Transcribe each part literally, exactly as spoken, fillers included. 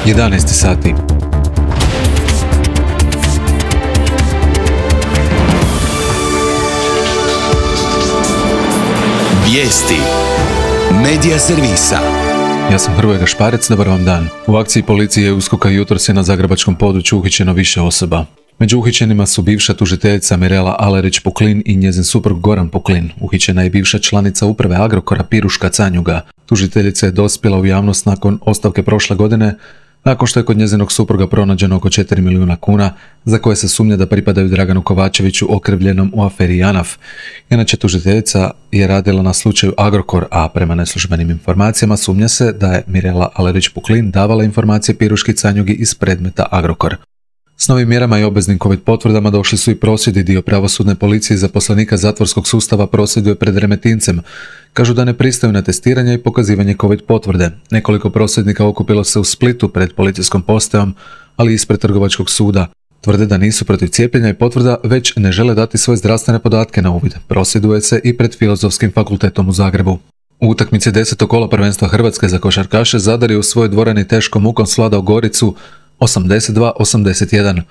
jedanaest sati. Vijesti Medija servisa. Ja sam Hrvoje Gašparec, dobar vam dan. U akciji policije i USKOK-a jutros je na zagrebačkom području uhićeno više osoba. Među uhićenima su bivša tužiteljica Mirela Alerić-Puklin i njezin suprug Goran Puklin. Uhićena je bivša članica uprave Agrokora Piruška Canjuga. Tužiteljica je dospjela u javnost nakon ostavke prošle godine, nakon što je kod njezinog supruga pronađeno oko četiri milijuna kuna, za koje se sumnja da pripadaju Draganu Kovačeviću okrivljenom u aferi JANAF. Inače, tužiteljica je radila na slučaju Agrokor, a prema neslužbenim informacijama sumnja se da je Mirela Alerić-Puklin davala informacije Piruški Canjugi iz predmeta Agrokor. S novim mjerama i obveznim covid potvrdama došli su i prosvjedi. Dio pravosudne policije i zaposlenika zatvorskog sustava prosvjeduje pred Remetincem. Kažu da ne pristaju na testiranje i pokazivanje covid potvrde. Nekoliko prosvjednika okupilo se u Splitu pred policijskom postajom, ali i ispred trgovačkog suda. Tvrde da nisu protiv cijepljenja i potvrda, već ne žele dati svoje zdravstvene podatke na uvid. Prosvjeduje se i pred Filozofskim fakultetom u Zagrebu. U utakmici desetog kola prvenstva Hrvatske za košarkaše Zadar je u svojoj dvorani teškom mukom svladao Goricu osamdeset dva osamdeset jedan.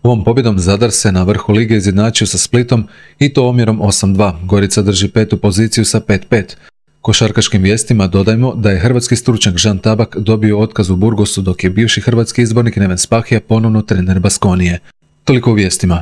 Ovom pobjedom Zadar se na vrhu lige izjednačio sa Splitom i to omjerom osam dva. Gorica drži petu poziciju sa pet pet. Košarkaškim vijestima dodajmo da je hrvatski stručnjak Žan Tabak dobio otkaz u Burgosu, dok je bivši hrvatski izbornik Neven Spahija ponovno trener Baskonije. Toliko u vijestima.